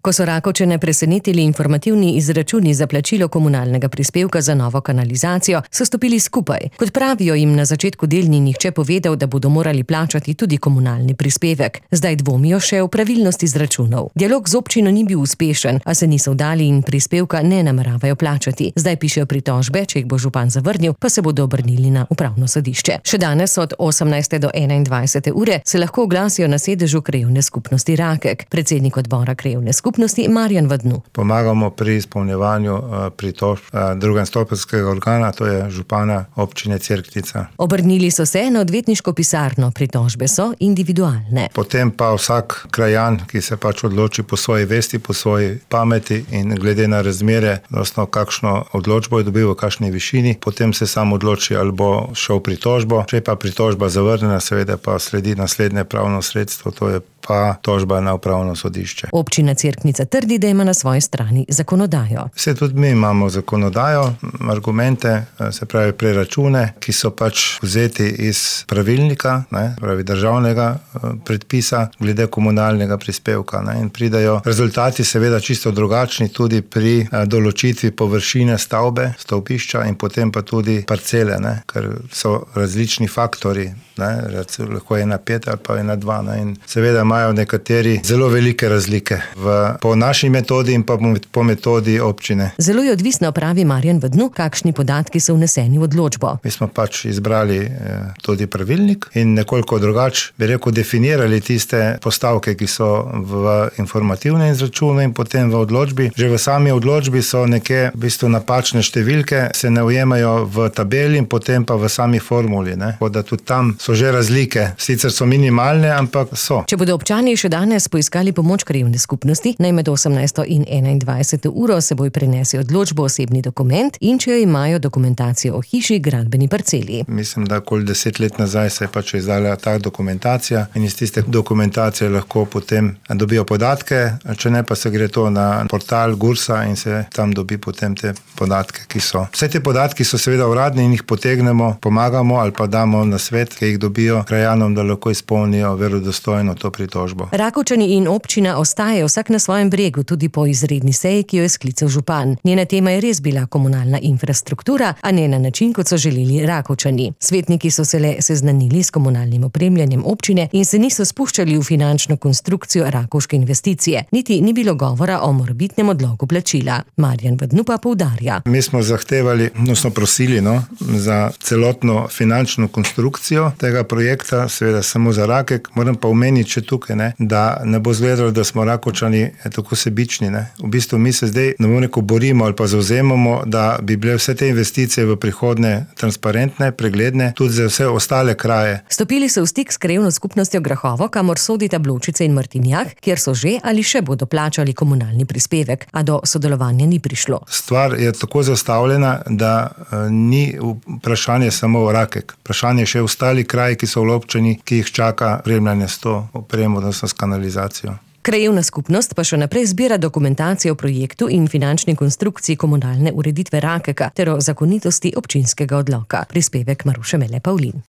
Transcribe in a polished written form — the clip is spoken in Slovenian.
Ko so Rakovčane presenetili informativni izračuni za plačilo komunalnega prispevka za novo kanalizacijo, so stopili skupaj. Kot pravijo, jim na začetku del ni nihče povedal, da bodo morali plačati tudi komunalni prispevek. Zdaj dvomijo še v pravilnost izračunov. Dialog z občino ni bil uspešen, a se niso vdali in prispevka ne nameravajo plačati. Zdaj pišejo pritožbe, če jih bo župan zavrnil, pa se bodo obrnili na upravno sodišče. Še danes od 18. do 21. ure se lahko oglasijo na sedežu Krajevne skupnosti Rakek. Predsednik odbora Krajevne skupnosti Marjan Vadnu. Pomagamo pri izpolnjevanju pritožb drugostopenjskega organa, to je župana občine Cerknica. Obrnili so se na odvetniško pisarno, pritožbe so individualne. Potem pa vsak krajan, ki se odloči po svoji vesti, po svoji pameti in glede na razmere, odnosno kakšno odločbo je dobil, v kakšni višini, potem se sam odloči, ali bo šel pritožbo. Če pa pritožba zavrnjena, seveda pa sledi naslednje pravno sredstvo, to je pa tožba na upravno sodišče. Občina Cerknica trdi, da ima na svoji strani zakonodajo. Vse tudi mi imamo zakonodajo, argumente, se pravi preračune, ki so vzeti iz pravilnika, pravi državnega predpisa glede komunalnega prispevka. In pridajo rezultati seveda čisto drugačni tudi pri določitvi površine stavbe, stavbišča in potem pa tudi parcele, ker so različni faktori, lahko 1,5 ali pa 1,2. In seveda imajo nekateri zelo velike razlike po naši metodi in pa po metodi občine. Zelo je odvisno, pravi Marjan Vadnu, kakšni podatki so vneseni v odločbo. Mi smo izbrali tudi pravilnik in nekoliko drugače, definirali tiste postavke, ki so v informativne izračune in potem v odločbi. Že v sami odločbi so neke napačne številke, se ne ujemajo v tabeli in potem pa v sami formuli. Da tudi tam so že razlike. Sicer so minimalne, ampak so. Če bodo občani še danes poiskali pomoč Krajevne skupnosti, naj med 18. in 21. uro seboj prenese odločbo osebni dokument in če jo imajo dokumentacijo o hiši, gradbeni parceli. Mislim, da okoli 10 let nazaj se je izdala ta dokumentacija in iz tiste dokumentacije lahko potem dobijo podatke, če ne pa se gre to na portal Gursa in se tam dobi potem te podatke, ki so. Vse te podatki so seveda uradni in jih potegnemo, pomagamo ali pa damo na svet, ki jih dobijo krajanom, da lahko izpolnijo verodostojno to pritožbo. Rakovčani in občina ostajajo vsak na svojem bregu tudi po izredni seji, ki jo je sklical župan. Njena tema je res bila komunalna infrastruktura, a ne na način, kot so želeli Rakovčani. Svetniki so se le seznanili s komunalnim opremljanjem občine in se niso spuščali v finančno konstrukcijo rakovške investicije. Niti ni bilo govora o morebitnem odlogu plačila. Marjan Vadnu pa poudarja. Mi smo zahtevali, prosili za celotno finančno konstrukcijo tega projekta, seveda samo za Rakek. Moram pa omeniti še tukaj, da ne bo izgledalo, da smo Rakovčani tako sebični. V bistvu mi se zdaj borimo ali pa zavzemamo, da bi bile vse te investicije v prihodnje transparentne, pregledne, tudi za vse ostale kraje. Stopili so v stik s Krajevno skupnostjo Grahovo, kamor sodita Bločice in Martinjak, kjer so že ali še bodo plačali komunalni prispevek, a do sodelovanja ni prišlo. Stvar je tako zastavljena, da ni vprašanje samo Rakek. Vprašanje še ostali kraji, ki so v občini, ki jih čaka opremljanje s to opremo, s kanalizacijo. Krajevna skupnost pa še naprej zbira dokumentacijo o projektu in finančni konstrukciji komunalne ureditve Rakeka ter o zakonitosti občinskega odloka. Prispevek Maruše Mele Pavlin.